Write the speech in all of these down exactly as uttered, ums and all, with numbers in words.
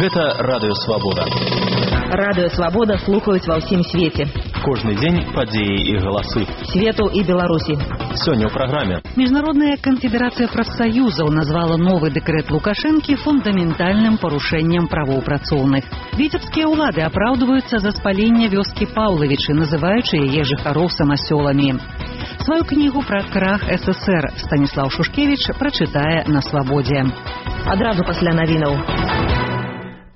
Гэта Радыё Свабода. Радыё Свабода слухаюць ва ўсім свеце. Кожны дзень падзеі і галасы. Свету і Беларусі. Сёння ў праграме. Міжнародная канфедэрацыя прафсаюзаў назвала новы дэкрэт Лукашэнкі фундаментальным парушэннем правоў працоўных. Віцебскія ўлады апраўдваюцца за спаленне вёскі Паўлавічы, называючы яе жыхароў самасёламі. Сваю кнігу пра крах эс эсэр Станіслаў Шушкевіч прачытае на Свабодзе. Адразу пасля навінаў.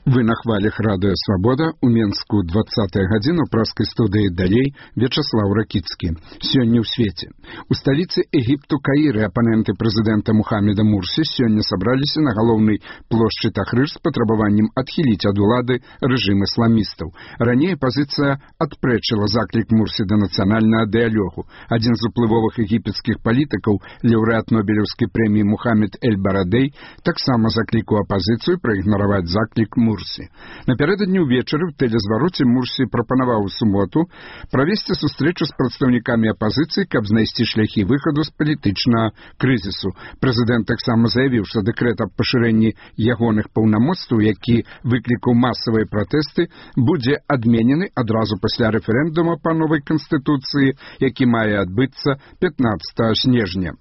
Вы на хвалях Радыё Свабода, у Менску двадцатая гадзіна, у праскай студыі далей Вячаслаў Ракіцкі. Сёння ў свеце. У сталіцы Егіпту Каіры апаненты прэзідэнта Мухаммеда Мурсі сёння сабраліся на галоўнай плошчы Тахрыр з патрабаваннем адхіліць ад улады рэжым ісламістаў. Раней апазіцыя адпрэчыла заклік Мурсі да нацыянальнага дыялогу. Адзін з уплывовых егіпецкіх палітыкаў, лаўрэат Нобелеўскай прэміі Мухаммед Эль-Барадэй, таксама заклікаў апазіцыю праігнараваць заклік Мурсі. Напярэдадні ўвечары ў тэлезвароце Мурсі прапанаваў у суботу правесці сустрэчу з прадстаўнікамі апазіцыі, каб знайсці шляхі выхаду з палітычнага крызісу. Прэзідэнт таксама заявіў, што дэкрэт аб пашырэнні ягоных паўнамоцтваў, які выклікаў масавыя пратэсты, будзе адменены адразу пасля рэферэндума па новай канстытуцыі, які мае адбыцца пятнаццатага снежня.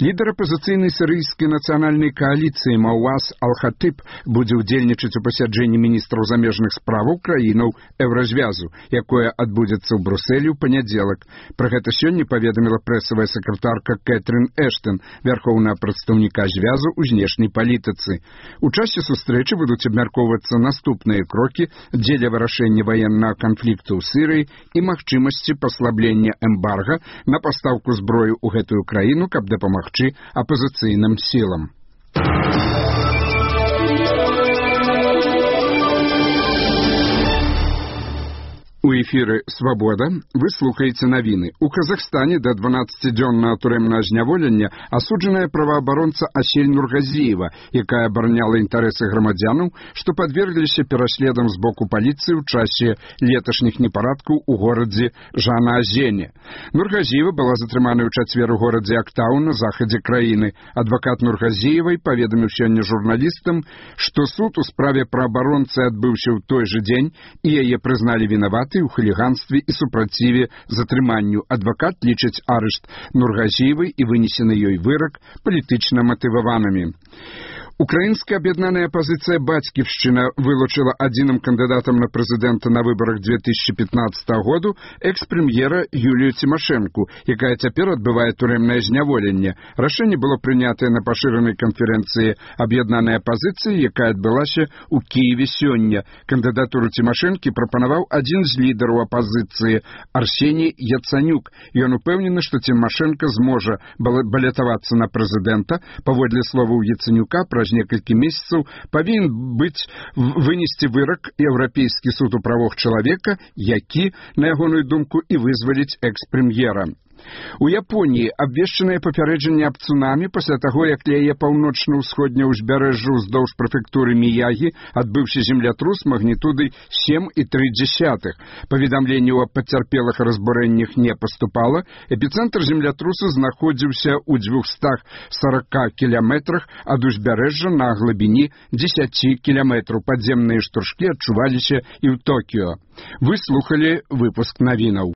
Лідар апазіцыйнай сірыйскай нацыянальнай кааліцыі Мауаз Ал-Хатыб будзе ўдзельнічаць у пасяджэнні міністраў замежных справаў краінаў Еўразвязу, якое адбудзецца ў Брусэлі ў панядзелак. Пра гэта сёння паведаміла прэсавая сакратарка Кэтрын Эштон, вярхоўнага прадстаўніка звязу ў знешняй палітыцы. У часе сустрэчы будуць абмяркоўвацца наступныя крокі дзеля вырашэння ваеннага канфлікту ў Сірыі і магчымасці паслаблення эмбарга на пастаўку зброю ў гэтую краіну, каб дапамагчы апазіцыйным сілам. У эфіры «Свабода» вы слухаеце навіны. У Казахстане да дванаццацідзённага турэмнага зняволення асуджаная праваабаронца Асель Нургазіева, якая абараняла інтарэсы грамадзянаў, што падвергліся пераследам з боку паліцыі ў часе леташніх непарадкаў у горадзе Жанаазене. Нургазіева была затрыманая ў чацвер у горадзе Актау на захадзе краіны. Адвакат Нургазіевай паведаміў сёння журналістам, што суд у справе праабаронцы адбыўся ў той жа дзень, і яе прызналі вінаватай у хуліганстве і супраціве затрыманню. Адвакат лічыць арышт Нургазіевай і вынесены ёй вырак палітычна матываванымі. Украінская аб'яднаная апазіцыя «Бацьківшчына» вылучыла адзіным кандыдатам на прэзідэнта на выбарах две тысячи пятнадцатага году экс-прэм'ера Юлію Цімашэнку, якая цяпер адбывае турэмнае зняволенне. Рашэнне было прынятае на пашыранай канферэнцыі аб'яднанай апазіцыі, якая адбылася ў Кіеве сёння. Кандыдатуру Цімашэнкі прапанаваў адзін з лідараў апазіцыі Арсеній Яцанюк. Ён упэўнены, што Цімашэнка зможа балятавацца на прэзідэнта. Паводле словаў Яцанюка, праз некалькі месяцаў павінен быць вынесці вырак Еўрапейскі суд у правах чалавека, які, на ягоную думку, і вызваліць экс-прэм'ера. У Японіі абвешчанае папярэджанне аб цунамі пасля таго, як ля яе паўночна-ўсходняе ўзбярэжжа ўздоўж прэфектуры Міягі адбыўся землятрус магнітудай сем і тры дзясятых. Паведамленняў аб пацярпелых разбурэннях не паступала. Эпіцэнтр землятрусу знаходзіўся ў дзвюхстах сарака кіляметрах ад узбярэжжа на глыбіні дзесяці кіляметраў. Падземныя штуршкі адчуваліся і ў Токіё. Вы слухалі выпуск навінаў.